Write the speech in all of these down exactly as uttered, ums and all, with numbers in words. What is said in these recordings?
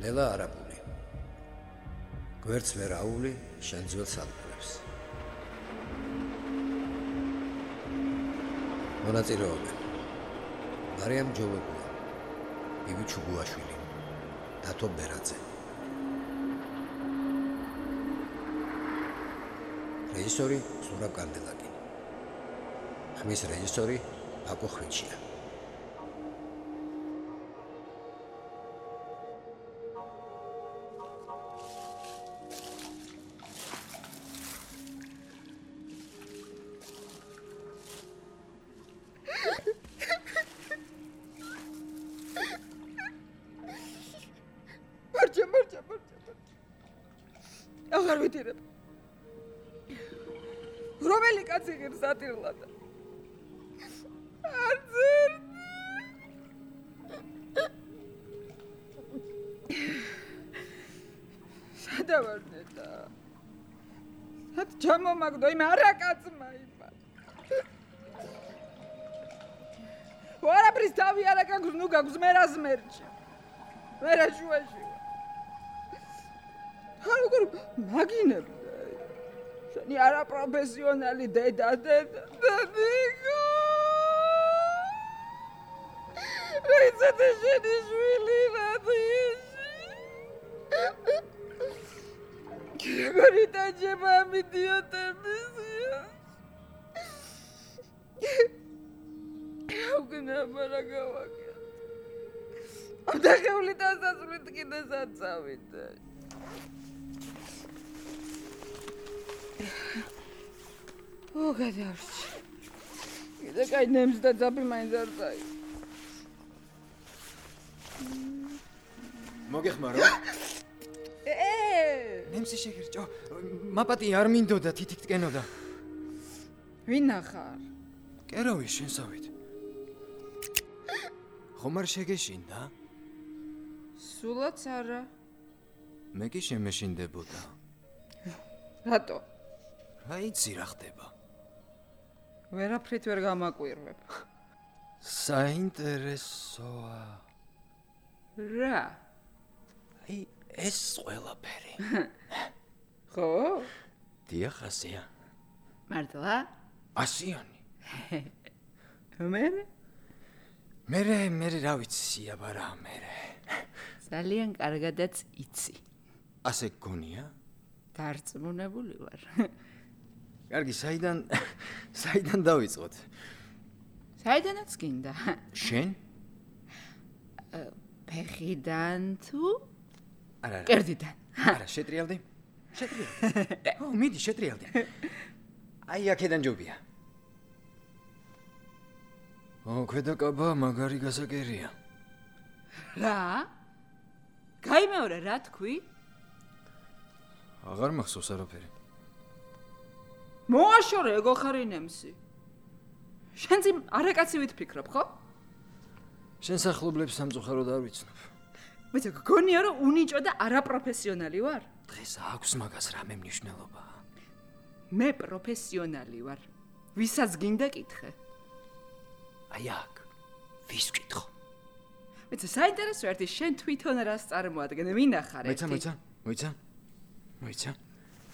ლელა არაბული. გვერდს ვერ აუვლი შენ ძველ სალყლებს. მონაწილეობენ. მარიამ ჯოვებია, ივი ჩუგუაშვილი, დათო ბერაძე. რეჟისორი ზურაბ კანდელაკი. ხმის რეჟისორი აკო ხვიჩია. მარჯა, მარჯა, მარჯა. აღარ ვიტირებ. რომელი კაცი ღირს ატირლად? არც ერთი. სადა ვარ ნეტა? სად ჩამომაგდო იმ არაკაცმა იმა? ვარაფრის თავი არა გაქვს, ნუ გაქვს მე რა ზმერჩი. მე რა შუაში ვარ. ხა როგორ მაგინებ? შენი არაპროფესიონალი დედა დედა დედიკო რიცეთ შენი შვილი რადიში როგორი დაჯება ამ იდიოტებისია აუგნაბა რა გავაკეთე ამ დახეული დასასრულით კიდე სად წავიდე ო გადავში. კიდე კაი ნემს და ძაბი მაინც არ წაი. მოგეხმარო? ე! ნემსი შეგერჭო. მაპატი არ მინდოდა თითით ტკენოდა. ვინ ახარ? კერავი შენსავით. ხომ არ შეგეშინდა? სულაც არა. მე კი შემეშინდებოდა. რატო? რა იცი რა ხდება? ვერაფრით ვერ გამაკვირვებ. საინტერესოა. რა? აი ეს ყველაფერი. ხო? დიახ, ასია. მართლა? ასიანი. მე? მერე, მერე რა ვიცი სიაბარა მერე. ძალიან კარგადაც იცი. ასე გონია? დარწმუნებული ვარ. კარგი, საიდან საიდან დავიწყოთ? საიდანაც გინდა? შენ? ფეხიდან თუ? არა, არა. კერძიდან. არა, შეტრიალდი? შეტრიალდი. ო, მიდი, შეტრიალდი. აი, აქედან ჯობია. ო, ქვედაკაბა მაგარი გასაკერია. რა? გაიმეორე რა თქვი? აღარ მახსოვს არაფერი. მოაშორე ეგო ხარი ნემსი. შენ ძი არაკაცი ვითფიქრობ, ხო? შენ სახლობლებს სამწუხაროდ არ ვიცნობ. მე გონია რომ უნიჭო და არაპროფესიონალი ვარ. დღეს აქვს მაგას რამე მნიშვნელობა. მე პროფესიონალი ვარ. ვისაც გინდა კითხე. აი აქ. ვის ვკითხო? მე საინტერესო ერთი შენ თვითონ რას წარმოადგენ, მინახარ ერთი. მოიცა, მოიცა, მოიცა. მოიცა.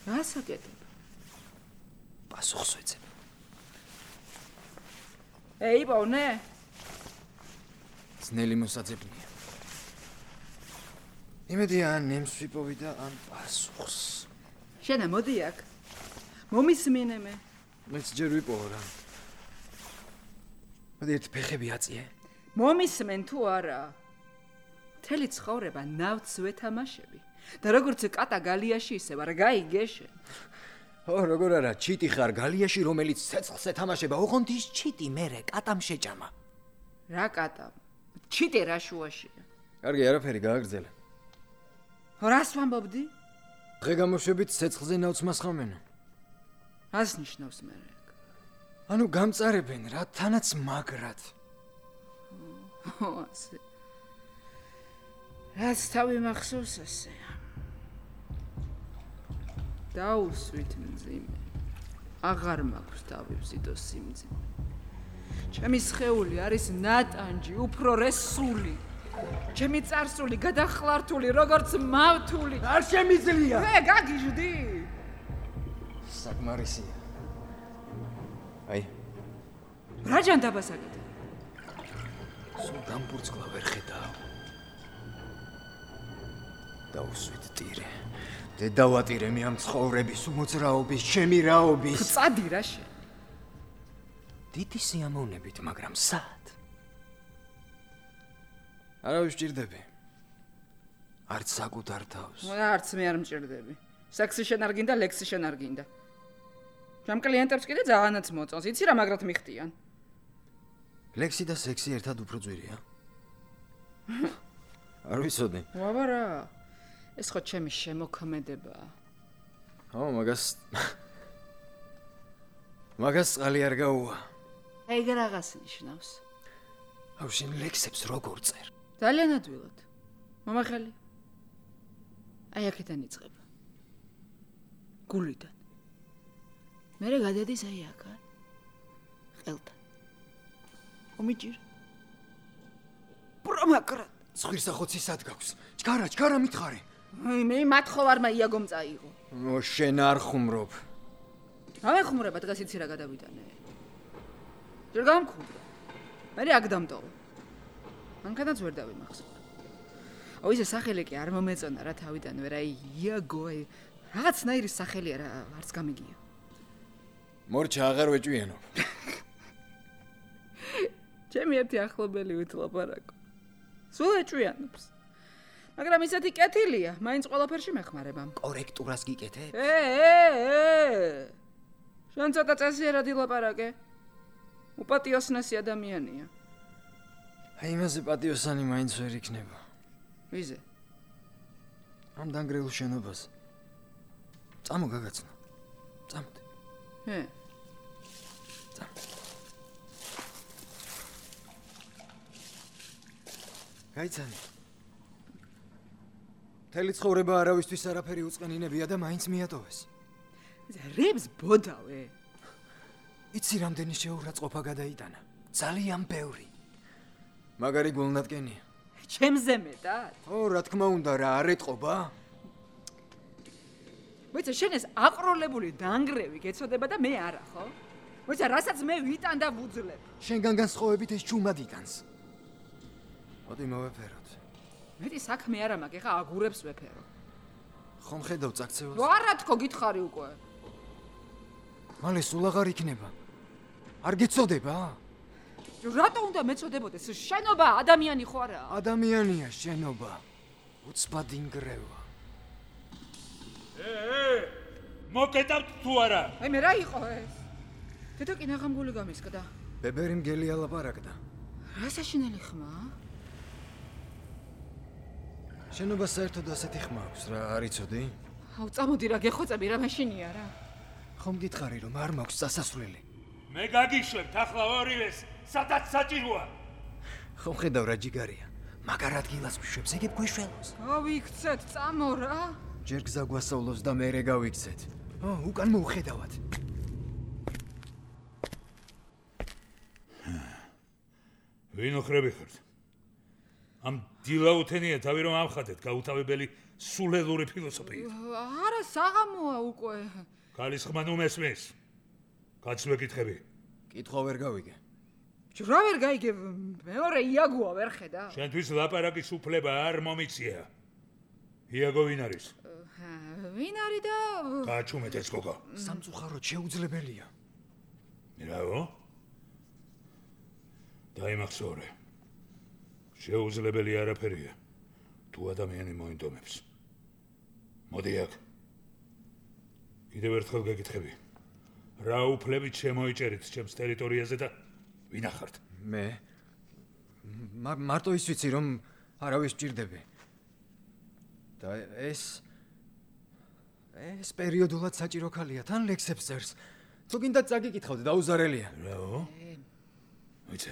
რას აკეთებ? პასუხს ვეცებ. ეი, ბოვნე? ძნელი მოსაძებნია. იმედია ან ნემს ვიპოვი და ან პასუხს. შენა მოდი აქ. მომისმინე მე. მეც ჯერ ვიპოვო რა. მოდი ერთ ფეხები აწიე. მომისმენ თუ არა? მთელი ცხოვრება ნავთს ვეთამაშები. და როგორც კატა გალიაში ისევ არ გაიგე შენ. ო, როგორ არა, ჩიტი ხარ გალიაში, რომელიც ცეცხლს ეთამაშება, ოღონდ ის ჩიტი მერე კატამ შეჭამა. რა კატამ? ჩიტი რა შუაშია? კარგი, არაფერი გააგრძელე. რას ვამბობდი? დღე გამოშვებით ცეცხლზე ნავთს მასხამენ. რას ნიშნავს მე ეგ? ანუ გამწარებენ რა, თანაც მაგრად. ო, ასე. რაც თავი მახსოვს ასეა. დაუსვით მძიმე. აღარ მაქვს თავი ვზიდო სიმძიმე. ჩემი სხეული არის ნატანჯი, უფრო რესული. ჩემი წარსული გადახლართული, როგორც მავთული. არ შემიძლია. ე, გაგიჟდი. საკმარისია. აი, რა ჯანდაბას აკეთე? სულ დამბურცკლა ვერ ხედავ. დაუსვით ტირე. დედავატირე მე ამ ცხოვრების უმოძრაობის, ჩემი რაობის. წადი რა შენ. დიდი სიამოვნებით, მაგრამ სად? არა ვსჭირდები. არც საკუთარ თავს. არც მე არ მჭირდები. სექსი შენ არ გინდა, ლექსი შენ არ გინდა. ჩემ კლიენტებს კიდე ძალიანაც მოწონს. იცი რა მაგრად მიხდიან? ლექსი და სექსი ერთად უფრო ძვირია. არ ვიცოდი. ვაბა რა. ეს ხო ჩემი შემოქმედებაა. ო, მაგას მაგას წყალი არ გაუვა. აი რაღაც ნიშნავს. აუ შენ ლექსებს როგორ წერ? ძალიან ადვილად. მომახელი. აი აქედან იწყება. გულიდან. მერე გადადის აი აქან. ყელთან. ომიჯირ. პრომაკრატ. ზღვირსახოცი სად გაქვს? ჩქარა, ჩქარა მითხარი. მე მათხოვარმა იაგომ წაიღო. ო შენ არ ხუმრობ. რა ხუმრობა დღეს იცი რა გადავიტანე. ჯერ გამქუმდა. მე აქ დამტოვე. მანქანაც ვერ დავიმახსოვრ. ო ისე სახელი კი არ მომეწონა რა თავიდან ვერ აი იაგო აი რაღაცნაირი სახელია რა არც გამიგია. მორჩა აღარ ვეჭვიანობ. ჩემი ერთი ახლობელი ვითლაპარაკო. სულ ეჭვიანობს. მაგრამ ისეთი კეთილია, მაინც ყველაფერში მეხმარება. კორექტურას გიკეთებ? ე, ე, ე. შენ ცოტა წესიერად ილაპარაკე. უპატიოსნესი ადამიანია. აი იმაზე პატიოსანი მაინც ვერ იქნება. ვიზე? ამ დანგრეულ შენობას. წამო გაგაცნო. წამოდი. ე. წამო. გაიცანი. თელი ცხოვრება არავისთვის არაფერი უწყენინებია და მაინც მიატოვეს. რებს ბოდავე. იცი რამდენი შეურაცხყოფა გადაიტანა? ძალიან ბევრი. მაგარი გულნატკენია. ჩემზე მეტად? ო, რა თქმა უნდა, რა არ ეტყობა? მოიცა შენ ეს აყროლებული დანგრევი გეცოდება და მე არა, ხო? მოიცა რასაც მე ვიტან და ვუძლებ. შენგან განსხვავებით ეს ჩუმად იტანს. მოდი მოვეფეროთ. მეტი საქმე არა მაქვს, ეხა აგურებს ვეფერო. ხომ ხედავ წაქცევას? არა თქო, გითხარი უკვე. მალე სულ აღარ იქნება. არ გეცოდება? რატო უნდა მეწოდებოდეს? შენობა ადამიანი ხო არა? ადამიანია შენობა. უცბად ინგრევა. ე, ე, მოკეტავთ თუ არა? აი მე რა იყო ეს? დედა კი ნაღამგული გამისკდა. ბებერი მგელი ალაპარაკდა. რა საშინელი ხმა? შენობა საერთოდ ასეთი ხმა აქვს რა, არ იცოდი? აუ წამოდი რა გეხოცები რა მაშინია რა. ხომ გითხარი რომ არ მაქვს წასასვლელი? მე გაგიშვებთ ახლა ორივეს, სადაც საჭიროა. ხომ ხედავ რა ჯიგარია? მაგარ ადგილას ვიშვებს, ეგებ გვეშველოს. გავიქცეთ, წამო რა. ჯერ გზა გვასწავლოს და მერე გავიქცეთ. ო, უკან მოვხედავად. ვინ ოხრები ხართ? ამ დილაუთენია თავი რომ ამხატეთ, გაუთავებელი სულელური ფილოსოფიით. არა, საღამოა უკვე. ქალის ხმა ნუ მესმის. კაც მეკითხები. კითხვა ვერ გავიგე. რა ვერ გაიგე, მეორე იაგოა ვერ ხედა? შენთვის ლაპარაკის უფლება არ მომიცია. იაგო ვინ არის? ვინ არის და გააჩუმეთ ეს გოგო. სამწუხაროდ შეუძლებელია. რაო? დაიმახსოვრე. შეუძლებელი არაფერია. თუ ადამიანი მოინდომებს. მოდი აქ. კიდევ ერთხელ გეკითხები. რა უფლებით შემოიჭერით ჩემს ტერიტორიაზე და ვინ ახართ? მე მარტო ის ვიცი რომ არავის მჭირდები. და ეს ეს პერიოდულად საჭირო ქალია, თან ლექსებს წერს. თუ გინდა წაგიკითხავდე, დაუზარელია. რაო? ვიცი.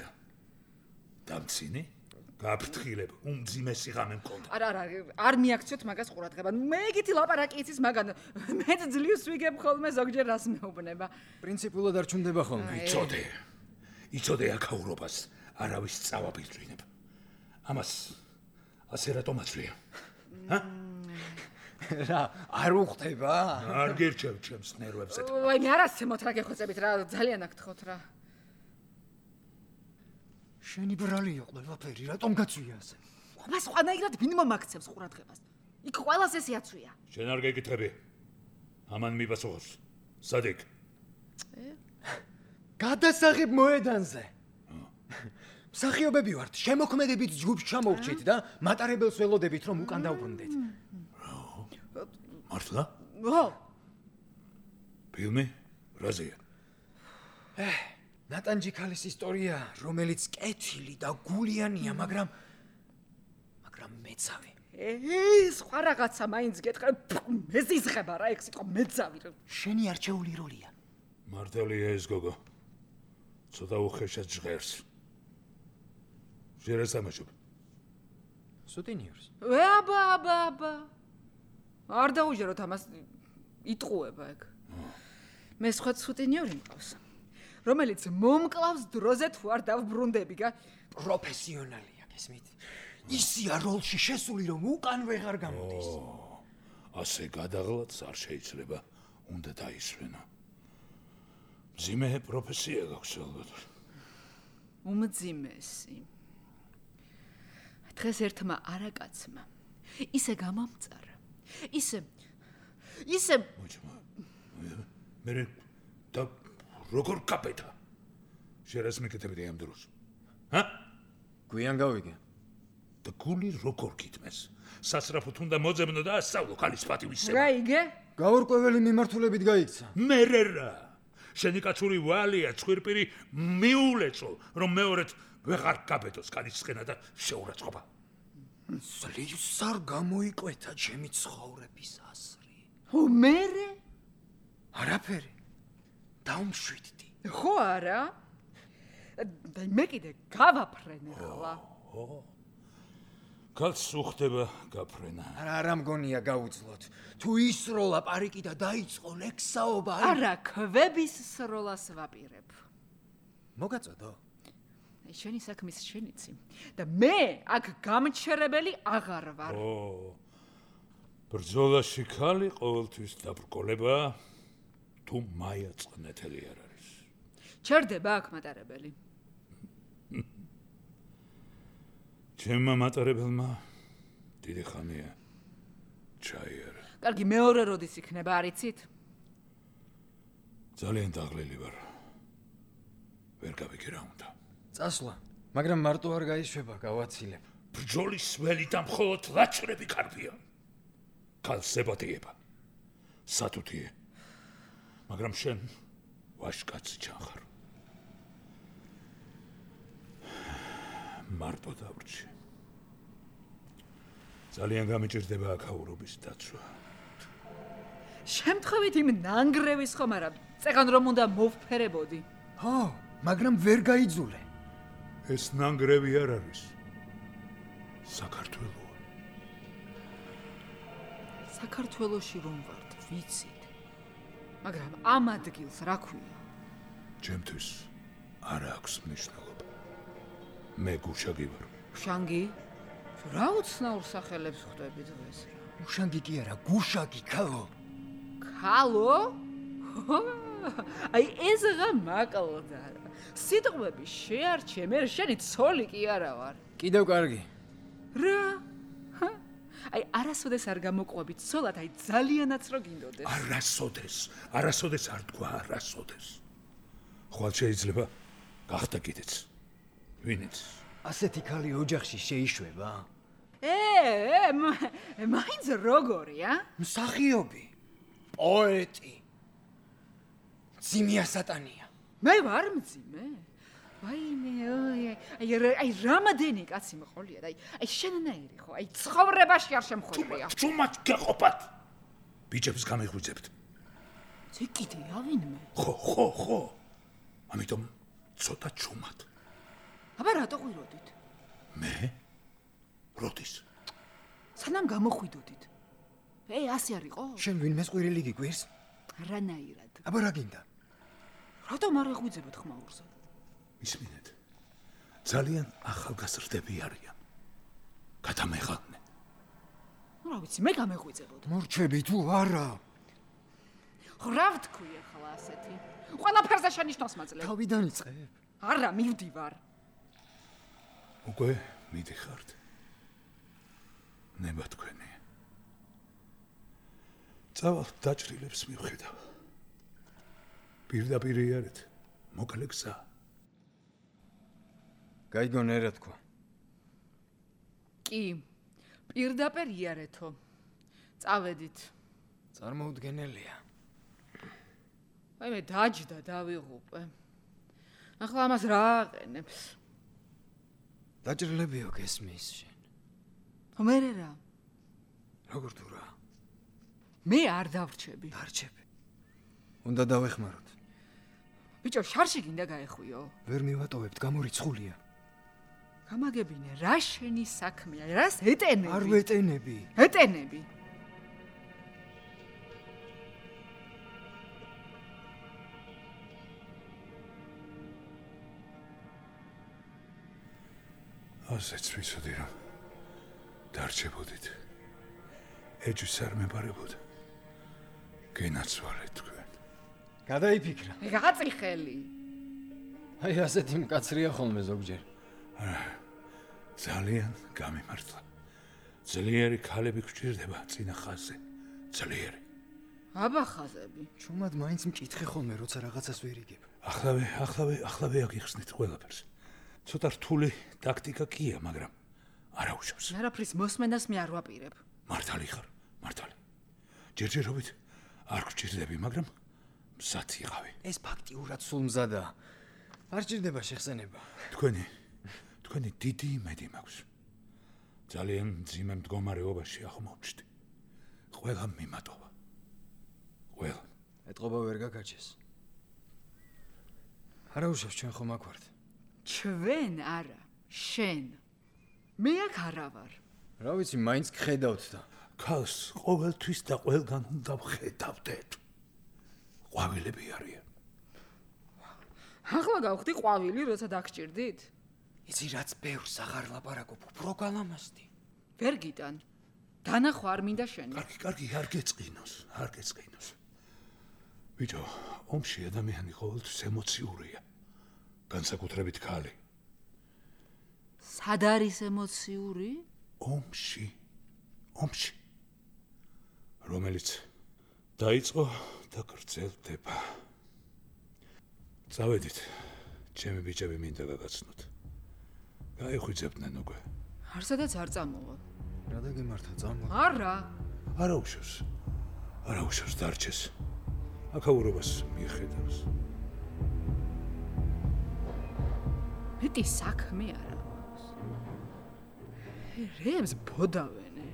დამცინი? გაფრთხილებ, უმძიმესი ღამე მქონდა. არა, არა, არ მიაქციოთ მაგას ყურადღება. მე ეგეთი ლაპარაკი იცის მაგან. მეც ძლივს ვიგებ ხოლმე ზოგჯერ რას მეუბნება. პრინციპულად არ ჩუნდება ხოლმე. იცოდე. იცოდე აქაურობას, არავის წავა ბიძვინებ. ამას ასე რატომ აცვია? ჰა? რა, არ უხდება? არ გირჩევ ჩემს ნერვებზე. ვაი, მე არასცემოთ რა გეხოცებით რა, ძალიან აკთხოთ რა. შენი ბრალი იყო ყველაფერი, რატომ გაწვია ასე? აბა სხვანაირად ვინ მომაქცევს ყურადღებას? იქ ყველას ესე აცვია. შენ არ გეკითხები. ამან მიპასუხოს. სადიქ? გადასაღებ მოედანზე. მსახიობები ვართ, შემოქმედებით ჯგუფს ჩამოვრჩით და მატარებელს ველოდებით, რომ უკან დავბრუნდეთ. მართლა? ო, ფილმი? რაზეა? ნატანჯიქალის ისტორია, რომელიც კეთილი და გულიანია, მაგრამ მაგრამ მეცავი. ე, სხვა რაღაცა მაინც გეტყვი, მეზიზღება რა, ეგ სიტყვა მეძავი. შენი არჩეული როლია. მართალია ეს გოგო. ცოტა უხეშად ჟღერს. შენ რა სამაშობ? სუტინიორს. ე, აბა, აბა, აბა. არ დაუჯეროთ ამას, იტყუება ეგ. მე სხვა სუტინიორი მყავს, რომელიც მომკლავს დროზე თუ არ დავბრუნდები, გა? პროფესიონალია, გესმით? ისია როლში შესული, რომ უკან ვეღარ გამოდის. ასე გადაღლაც არ შეიძლება, უნდა დაისვენო. მძიმე პროფესია გაქვს ალბათ. უმძიმესი. დღეს ერთმა არაკაცმა ისე გამომწარა. ისე ისე მოჭმა. მე და როგორ კაპეტა? შერას მეკეთებდი ამ დროს. ჰა? გვიან გავიგე. და გული როგორ გიტმეს? სასწრაფოდ უნდა მოძებნო და ასწავლო ქალის პატივისცემა. რა იგე? გაურკვეველი მიმართულებით გაიქცა. მერე რა. შენი კაცური ვალია ცხვირპირი მიულეწო, რომ მეორედ ვეღარ გაბედოს ქალის სხენა და შეურაცხყოფა. სლივს არ გამოიკვეთა ჩემი ცხოვრების ასრი. ო, მერე? არაფერი. დაუმშვიდდი. ხო არა? და მე კიდე გავაფრენ ახლა. კაც უხდება გაფრენა. არა, არა მგონია გაუძლოთ. თუ ისროლა პარიკი და დაიწყო ლექსაობა, არა, ქვების სროლას ვაპირებ. მოგაწოდო. აი შენი საქმის შენიცი და მე აქ გამჩერებელი აღარ ვარ. ო. ბრძოლაში ხალი ყოველთვის დაბრკოლება თუ მაია წყნეთელი არ არის. ჩერდება აქ მატარებელი. ჩემმა მატარებელმა დიდი ხანია ჩაიერა. კარგი, მეორე როდის იქნება, არიცით? ძალიან დაღლილი ვარ. ვერ გავიგე რა უნდა. წასვლა, მაგრამ მარტო არ გაიშვება, გავაცილებ. ბრძოლის ველი და მხოლოდ ლაჩრები კარგია. ქალს ებატიება. სათუთიე. მაგრამ შენ ვაშკაცი ჩახარ. მარტო დავრჩი. ძალიან გამიჭირდება აქაურობის დაცვა. შემთხვევით იმ ნანგრევის ხომ არა, წეგან რომ უნდა მოვფერებოდი. ხო, მაგრამ ვერ გაიძულე. ეს ნანგრევი არ არის. საქართველოა. საქართველოში რომ ვართ, ვიცით. მაგრამ ამ ადგილს რა ქვია? ჩემთვის არ აქვს მნიშვნელობა. მე გუშაგი ვარ. შანგი? რა უცნაურ სახელებს ხვდები დღეს რა? უშანგი კი არა, გუშაგი, ქალო. ქალო? აი ეს რა მაკლდა რა. სიტყვები შეარჩე, მე შენი ცოლი კი არა ვარ. კიდევ კარგი. რა? აი არასოდეს არ გამოყვებით ცოლად, აი ძალიანაც რო გინდოდეს. არასოდეს, არასოდეს არ თქვა, არასოდეს. ხვალ შეიძლება გახდა კიდეც. ვინიც? ასეთი ქალი ოჯახში შეიშვება? ე, მაინც როგორია? მსახიობი, პოეტი. ძიმია სატანია. მე ვარ მძიმე? ვაიმე, აი, აი რამადენი კაცი მყოლია და აი, აი შენნაირი ხო, აი ცხოვრებაში არ შემხვევრია. ჩუმად გეყოფათ. ბიჭებს გამიღვიძებთ. ზე კიდე ავინმე? ხო, ხო, ხო. ამიტომ ცოტა ჩუმად. აბა რატო ყვიროდით? მე? როდის? სანამ გამოხვიდოდით. ე, ასე არ იყო? შენ ვინმეს ყვირილი გიგვირს? არანაირად. აბა რა გინდა? რატომ არ ეღვიძებოთ ხმაურზე? ისმინეთ. ძალიან ახალგაზრდები არიან. გადამეღალნე. რა ვიცი, მე გამეღვიძებოდი. მორჩები თუ არა? რა ვთქვი ახლა ასეთი? ყველაფერზე შენიშნავს მაძლევ. თავიდან იწყებ. არა, მივდივარ. უკვე მიდიხართ. ნება თქვენი. წავალ დაჭრილებს მივხედავ. პირდაპირ იარეთ, მოკლე გზა. გაიგონ ერა თქვა. კი, პირდაპირ იარეთო. წავედით. წარმოუდგენელია. აი მე დაჯდა დავიღუპე. ახლა ამას რა აყენებს? დაჭრილებიო გესმის შენ. მერე რა? როგორ თუ რა? მე არ დავრჩები. დარჩები. უნდა დავეხმაროთ. ბიჭო, შარში გინდა გაეხვიო. ვერ მივატოვებთ, გამორიცხულია. გამაგებინე, რა შენი საქმეა? რას ეტენები? არ ვეტენები. ეტენები. ასეც ვიცოდი რომ დარჩებოდით. ეჯის არ მეპარებოდა. გენაცვალეთ თქვენ. გადაიფიქრა. გაწიხელი. აი ასეთი მკაცრია ხოლმე ზოგჯერ. ძალიან გამიმართლა. ძლიერი ქალები გვჭირდება წინა ხაზზე. ძლიერი. აბა ხაზები. ჩუმად მაინც მჭითხე ხოლმე, როცა რაღაცას ვერ იგებ.ახლავე,ახლავე,ახლავე აგიხსნით ყველაფერს. ცოტა რთული ტაქტიკა კია, მაგრამ არაუშავს. არაფრის მოსმენას მე არ ვაპირებ. მართალი ხარ, მართალი. ჯერჯერობით არ გვჭირდები, მაგრამ მზად იყავი. ეს ფაქტიურად სულ მზადაა. არ ჭირდება შეხსენება. თქვენი, თქვენი დიდი იმედი მაქვს. ძალიან მძიმე მდგომარეობაში აღმოჩნდი. ყველა მიმატოვა. ყველა. ეთყობა ვერ გაგაჩეს. არაუშავს ჩვენ ხომ აქ ვართ. ჩვენ არა, შენ. მე აქ არა ვარ. რა ვიცი, მაინც გხედავთ და ქალს ყოველთვის და ყველგან უნდა ვხედავდეთ. ყვავილები არიან. ახლა გავხდი ყვავილი, როცა დაგჭირდით? იცი რაც ბევრს აღარ ლაპარაკობ, უფრო გალამაზდი. ვერ გიტან. დანახვა არ მინდა შენი. კარგი, კარგი, არ გეწყინოს, არ გეწყინოს. ბიჭო, ომში ადამიანი ყოველთვის ემოციურია. განსაკუთრებით ქალი. სად არის ემოციური? ომში, ომში. რომელიც დაიწყო და გრძელდება. წავედით, ჩემი ბიჭები მინდა გაგაცნოთ. გაიხვიძებდნენ უკვე. არსადაც არ წამოვა. რა დაგემართა წამო? არა. არაუშავს. არაუშავს დარჩეს. აქაურობას მიხედავს. მეტი საქმე არა მაქვს. რემს ბოდავენე.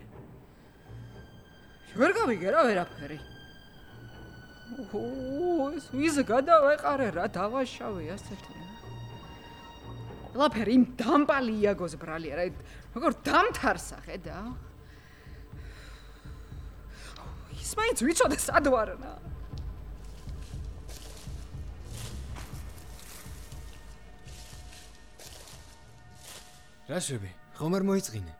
ვერ გავიგე რა ვერაფერი. ო, ეს ვიზ გადავეყარე რა დავაშავე ასეთი. ყველაფერი იმ დამპალი იაგოს ბრალია რა. როგორ დამთარსა ხედა? ის მაინც ვიცოდე სად ვარნა. რა შვები? ხომ არ მოიწყინე?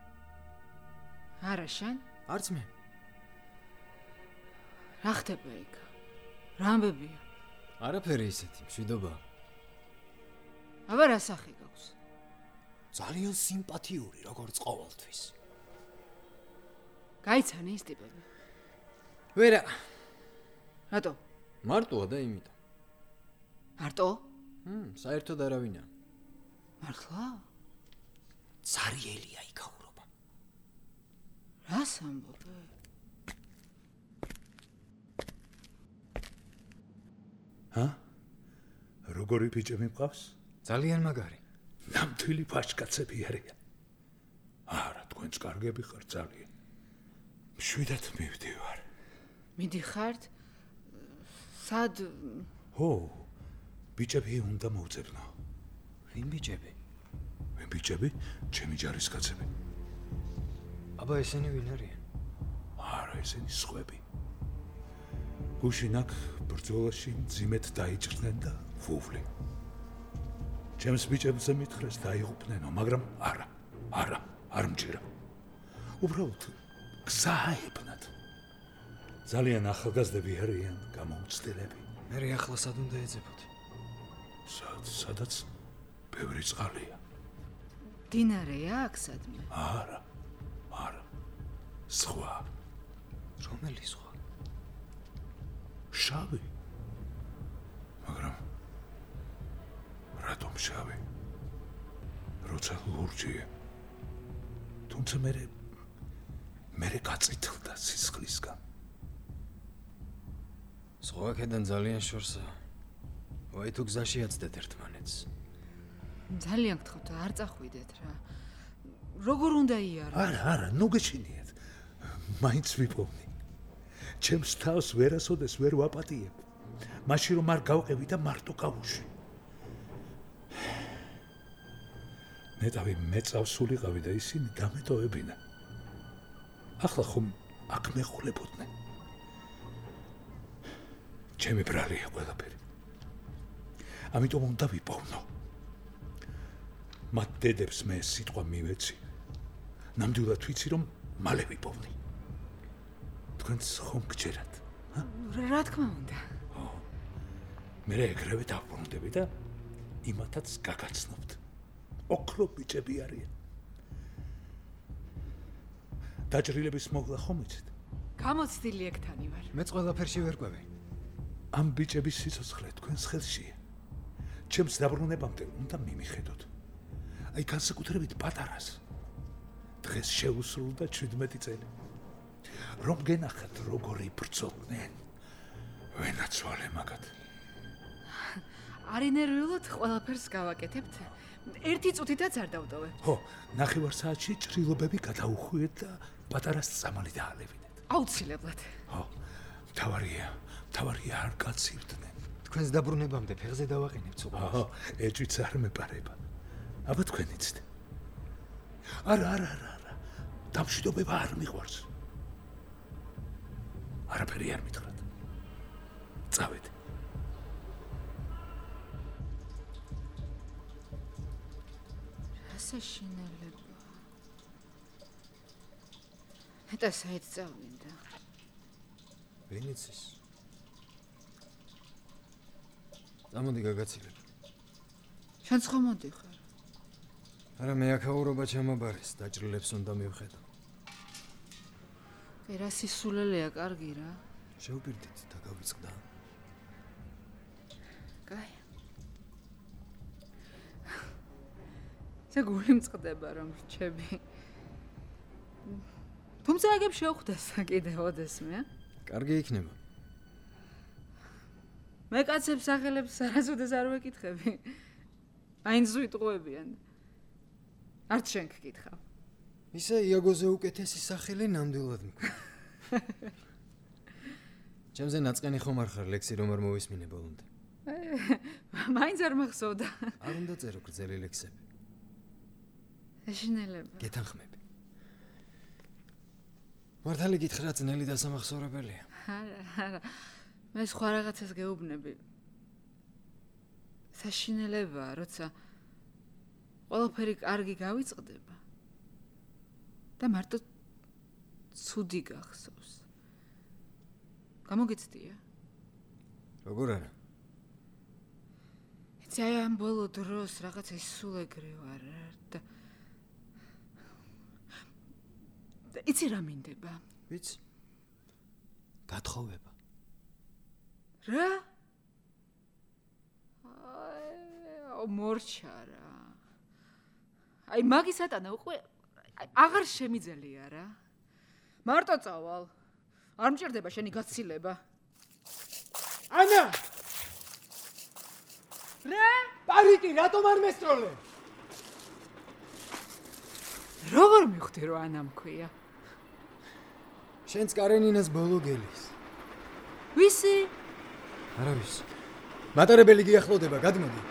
არა შენ? არც მე. რა ხდება იქ? რა ამბებია? არაფერი ისეთი, მშვიდობა. აბა რა სახე გაქვს? ძალიან სიმპათიური, როგორც ყოველთვის. გაიცანი ის ტიპები? ვერა. რატო? მარტოა და იმიტომ. მარტო? ჰმ, საერთოდ არავინა. მართლა? ცარიელია იქაურობა. რას ამბობ? ჰა? როგორი ბიჭები მყავს? ძალიან მაგარი. ნამდვილი ფაშკაცები არიან. არა, თქვენც კარგები ხართ ძალიან. მშვიდად მივდივარ. მიდიხართ? სად? ო, ბიჭები უნდა მოვძებნო. ვინ ბიჭები? ვინ ბიჭები? ჩემი ჯარისკაცები. აბა ესენი ვინ არიან? არა, ესენი სხვები. გუშინ აქ ბრძოლაში მძიმედ დაიჭრნენ და ვუვლი. ჩემს ბიჭებზე მითხრეს დაიღუპნენო, მაგრამ არა, არა, არ მჭირა. უბრალოდ გზაებნათ. ძალიან ახალგაზრდები არიან, გამოუცდელები. მე ახლა სად უნდა ეძებოდი? სად, სადაც ბევრი წყალია. დინარეა აქ სადმე? არა, არა. სხვა. რომელი სხვა? შავი. მაგრამ რატომ შავი? როცა ლურჯია. თუმცა მე მე გაწითლდა სისხლისგან. სხვა კედან ძალიან შორსაა. ვაი თუ გზაში აცდეთ ერთმანეთს. ძალიან გთხოვთ, არ წახვიდეთ რა. როგორ უნდა იარო? არა, არა, ნუ გეჩინიათ. მაინც ვიპოვნი. ჩემს თავს ვერასოდეს ვერ ვაპატიებ. მაშინ რომ არ გავყევი და მარტო გავუშვი. ნეტავი მეწავსულიყავი და ისინი დამეტოვებინა. ახლა ხომ აქ მეხულებოდნენ. ჩემი ბრალია ყველაფერი. ამიტომ უნდა ვიპოვნო. მათ დედებს მე სიტყვა მივეცი. ნამდვილად ვიცი რომ მალე ვიპოვნი. თქვენც ხომ გჯერათ? რა თქმა უნდა. მე ეგრევე დავბრუნდები და იმათაც გაგაცნობთ. ოქრო ბიჭები არიან. დაჭრილების მოგლა ხომ იცით? გამოცდილი ეგთანი ვარ. მეც ყველაფერში ვერ ყვევი. ამ ბიჭების სიცოცხლე თქვენს ხელშია. ჩემს დაბრუნებამდე უნდა მიმიხედოთ. აი განსაკუთრებით პატარას. დღეს შეუსრულდა შვიდმეტი წელი. რომ გენახათ როგორი ბრძოლდნენ. ვენაცვალე მაგათ. არინერვიულად ყველაფერს გავაკეთებთ. ერთი წუთითაც არ დავტოვებ. ხო, ნახევარ საათში ჭრილობები გადაუხვიეთ და პატარას წამალი დაალევინეთ. აუცილებლად. ხო, თავარია, თავარია არ გაცივდნენ. თქვენს დაბრუნებამდე ფეხზე დავაყენებთ უყურს. ხო, ეჭვიც არ მეპარება. აბა თქვენ იცით. არა, არა, არა, არა. დამშვიდობება არ მიყვარს. არაფერი არ მითხრათ. წავედ. საშინელება. მეტა საით წავიდა. ვინიცის. გამოდი გაგაცილებ. შენც ხომ მოდიხარ? არა მე აქაურობა ჩამაბარეს, დაჭრილებს უნდა მივხედო. კი რა სისულელეა, კარგი რა. შევპირდით და გავიწყდა. კაი. ზე გული მწყდება რომ რჩები. თუმცა აგებ შევხვდეს კიდე ოდესმე. კარგი იქნება. მე კაცებს სახელებს არასოდეს არ ვეკითხები. აინც ვიტყუებიან. არც შენ გკითხავ. ისე იაგოზე უკეთესი სახელი ნამდვილად მქვია. ჩემზე ნაწყენი ხომ არ ხარ ლექსი რომ არ მოვისმინე ბოლომდე. მაინც არ მახსოვდა. არ უნდა წერო გრძელი ლექსები. ეშინელება. გეთანხმები. მართალი გითხრა ძნელი დასამახსოვრებელია. არა, არა. მე სხვა რაღაცას გეუბნები. საშინელებაა, როცა ყველაფერი კარგი გავიწყდება და მარტო ცუდი გახსოვს. გამოგეცდია? როგორ არა? იცი აი ამ ბოლო დროს რაღაცა სულ ეგრე ვარ და იცი რა მინდება? ვიცი. გათხოვება. რა? აი, მორჩა რა. აი მაგისატანა უკვე აღარ შემიძლია რა. მარტო წავალ. არ მჭირდება შენი გაცილება. ანა! რა? პარიკი რატომ არ მესწროლე? როგორ მივხვდი რომ ანა მქვია? შენც კარენინას ბოლო გელის. ვისი? არა ვიცი. მატარებელი გიახლოვდება, გადმოდი.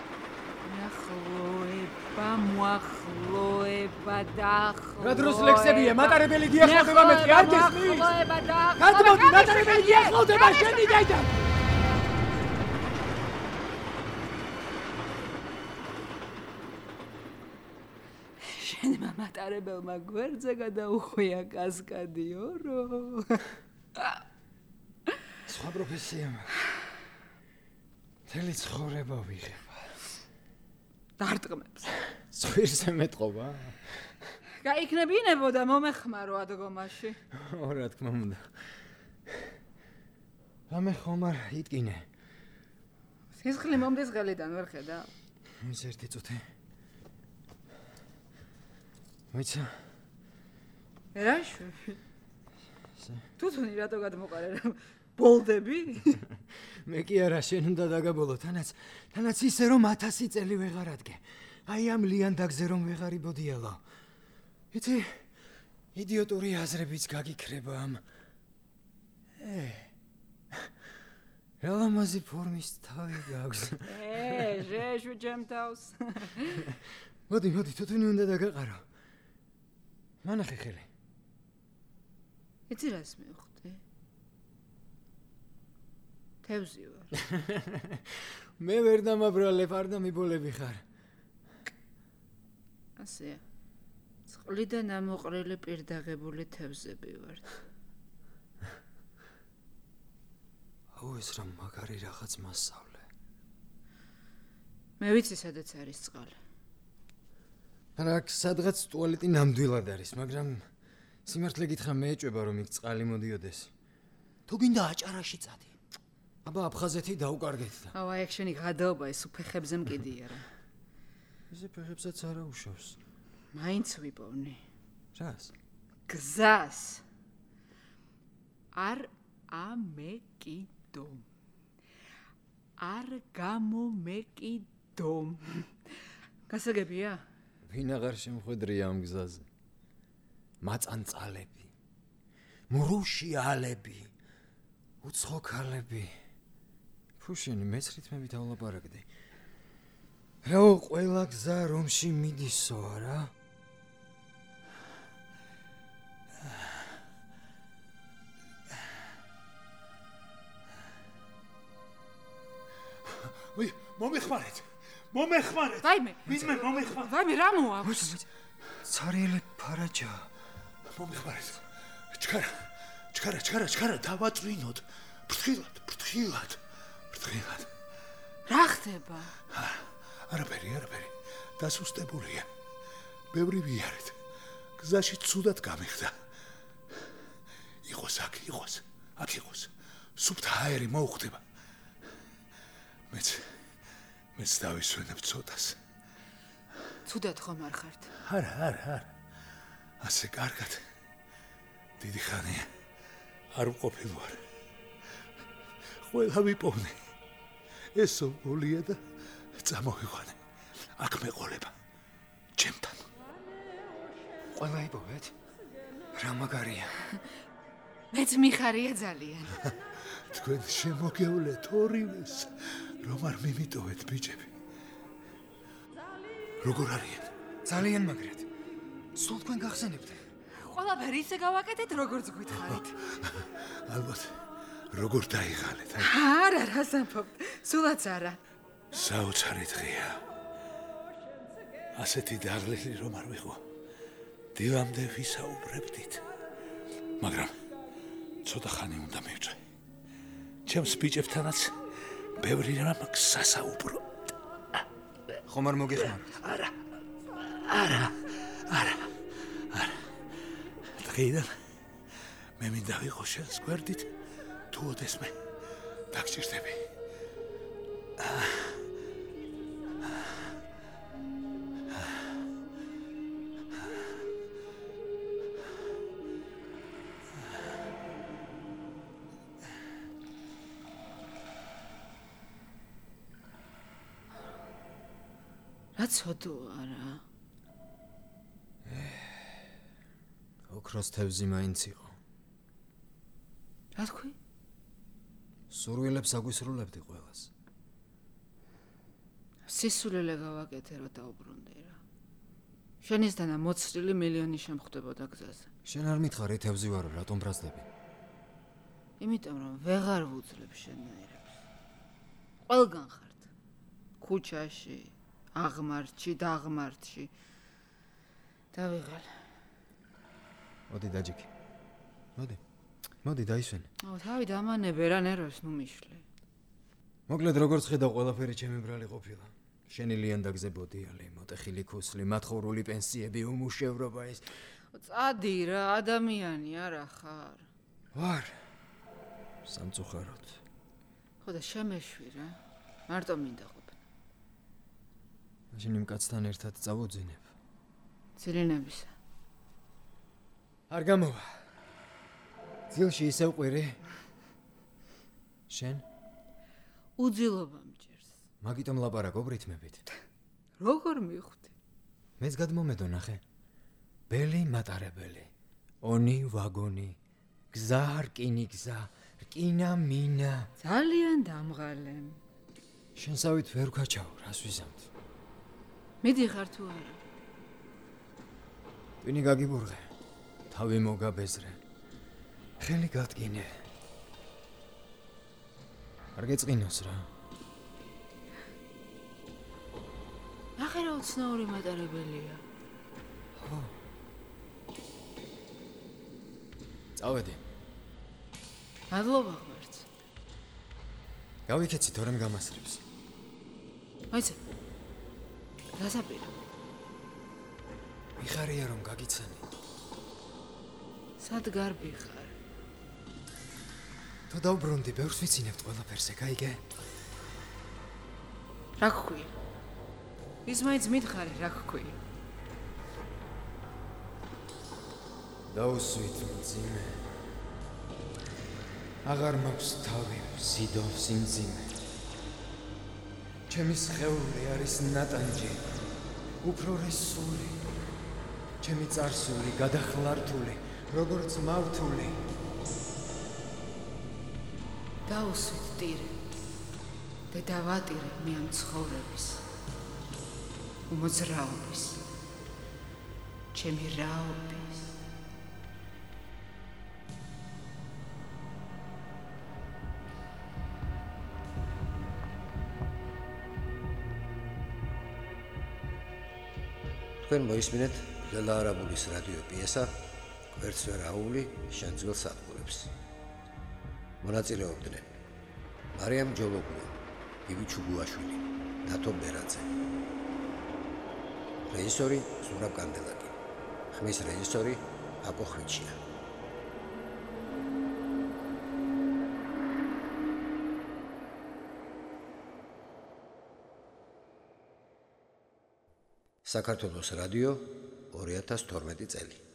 ნახლოება, მოახლოება და ახლოება. რა დროს ლექსებია, მატარებელი გიახლოვდება მეთქი, არ გესმის? ახლოება და ახლოება. გადმოდი, მატარებელი გიახლოვდება, შენი დაიდა. შენმა მატარებელმა გვერდზე გადაუხვია კასკადიორო. სხვა პროფესია მაქვს. მთელი ცხოვრება ვიღება. დარტყმებს. ზღვირზე მეტყობა? გაიქნებინებო და მომეხმარო ადგომაში. ო, რა თქმა უნდა. რამე ხომ არ იტკინე. სისხლი მომდის ღელიდან ვერ ხედავ? ის ერთი წუთი. მოიცა. რაში? თუთუნი რატო გადმოყარე რა? ბოლდები? მე კი არა, შენ უნდა დაგაბოლო, თანაც, თანაც ისე რომ ათასი წელი ვეღარ ადგე. აი ამ ლიანდაგზე რომ ვეღარ იბოდიალო. იცი, იდიოტური აზრებიც გაგიქრება ამ. ე. რამაზი ფორმის თავი გაქვს. ე, ჟეშუ ჯემთავს. მოდი, მოდი, თუთუნი უნდა დაგაყარო. მანახე ხელი. იცი რას მივხვდი? თევზი ვარ. მე ვერ დამაბრალებ, არ დამიბოლები ხარ. ასეა. წყლიდან ამოყრილი პირდაღებული თევზები ვართ. აუ ეს რა მაგარი რაღაც მასწავლე. მე ვიცი სადაც არის წყალი. რა სადღაც ტუალეტი ნამდვილად არის, მაგრამ სიმართლე გითხრა მე ეჭვება რომ იქ წყალი მოდიოდეს. თუ გინდა აჭარაში წადი. აბა აფხაზეთი დაუკარგეთ და. აუ აი აქ შენი გადაობა ეს უფეხებზე მკიდია რა. ესე ფეხებსაც არა უშავს. მაინც ვიპოვნი. რას? გზას. არ ამეკიდო. არ გამომეკიდო. გასაგებია? ვინ აღარ შემხვედრია ამ გზაზე? მაწანწალები, მრუშიალები, უცხოქალები. ფუშენი მეც რითმებითავლაპარაკდი. რა ყველა გზა რომში მიდისო არა? ვი, მომეხმარეთ. მომეხმარეთ. ვაიმე. ვინმე მომეხმარეთ. ვაიმე, რა მოაქვს? ცარიელი ფარაჯა. მომეხმარეთ. ჩქარა, ჩქარა, ჩქარა, ჩქარა, დავაწვინოთ. ფრთხილად, ფრთხილად, ფრთხილად. რა ხდება? არაფერი, არაფერი. დასუსტებულია. ბევრი ვიარეთ. გზაში ცუდად გამიხდა. იყოს აქ, იყოს, აქ იყოს. სუფთა აერი მოუხდება. მეც მეც დავისვენებ ცოტას. ცუდად ხომ არ ხართ? არა, არა, არა. ასე კარგად. დიდი ხანია არ ვყოფილ ვარ. ყველა ვიპოვნე. ესო გულია და წამოვიყვანე. აქ მეყოლება. ჩემთან. ყველა იპოვეთ? რა მაგარია. მეც მიხარია ძალიან. თქვენ შემოგევლეთ ორივეს, რომ არ მიმიტოვეთ ბიჭები. როგორ არიან? ძალიან მაგრად. სულ თქვენ გახსენებთ. ყველაფერი ისე გავაკეთეთ, როგორც გითხარით. ალბათ როგორ დაიღალეთ, აი? არა, რა სამფობთ. სულაც არა. საოცარი დღეა. ასეთი დაღლილი რომ არ ვიყო. დილამდე ვისაუბრებდით. მაგრამ ცოტა ხანი უნდა მივწვე. ჩემს ბიჭებთანაც ბევრი რამ გასაუბრო. ხომ არ მოგეხმაროთ? არა. არა. არა. არა. დღეიდან მე მინდა ვიყო შენს გვერდით, თუ ოდესმე დაგჭირდები. რა ცოდოა რა. ოქროს თევზი მაინც იყო. რა თქვი? სურვილებს აგვისრულებდი ყველას. სისულელე გავაკეთე რა დაუბრუნდე რა. შენისთანა მოცრილი მილიონი შემხვდებოდა გზაზე. შენ არ მითხარი თევზი ვარო, რატომ ბრაზდები? იმიტომ რომ ვეღარ ვუძლებ შენაირებს. ყველგან ხართ. ქუჩაში, აღმართში, დაღმართში. დავიღალ. მოდი დაჯიქი. მოდი. მოდი დაისვენ. აუ, თავი დამანებე რა ნერვებს ნუ მიშლე. მოკლედ როგორც ხედავ, ყველაფერი ჩემი ბრალი ყოფილა. შენი ლიანდაგზე ბოდიალი, მოტეხილი ქუსლი, მათხოვრული პენსიები, უმუშევრობა ის. წადი რა, ადამიანი არა ხარ. ვარ. სამწუხაროდ. ხო და შემეშვი რა. მარტო მინდა ყოფნა. მაშინ იმ კაცთან ერთად წავუძინებ. ძილინებისა. არ გამოვა. ძილში ისევ ყვირი. შენ? უძილობა მჭირს. მაგიტომ ლაპარაკობ რითმებით. როგორ მივხვდი? მეც გადმომედო ნახე. ბელი მატარებელი. ონი ვაგონი. გზა რკინი გზა. რკინა მინა. ძალიან დამღალე. შენსავით ვერ ვქაჩავ, რას ვიზამთ. მიდიხარ თუ არა? ტვინი გაგიბურღე. თავი მოგაბეზრე. ხელი გადგინე. არ გეწყინოს რა. ნახე რა უცნაური მატარებელია. ხო. წავედი. მადლობა ღმერთს. გავიქეცი თორემ გამასრებს. მაიცე. გასაპირა. მიხარია რომ გაგიცანი. სად გარბი ხარ? თუ დავბრუნდი, ბევრს ვიცინებთ ყველაფერზე, გაიგე? რა გქვია? ის მაინც მითხარი რა გქვია? დაუსვით მძიმე. აღარ მაქვს თავი, სიდობს იმძიმე. ჩემი სხეული არის ნატანჯი, უფრორი სული. ჩემი წარსული გადახლართული, როგორც მავთული. დაუსვით ტირე და დავატირე მე ამ ცხოვრების უმოძრაობის ჩემი რაობის თქვენ მოისმინეთ ლელა არაბულის რადიო პიესა კვერცხერაული შენძღელ სადგურებს. მონაწილეობდნენ მარიამ ჯოლოგუა, ივი ჩუგუაშვილი, დათო ბერაძე. რეჟისორი ზურაბ კანდელაკი. ხმის რეჟისორი აკო ხვიჩია. საქართველოს რადიო ორი ათას თორმეტი წელი.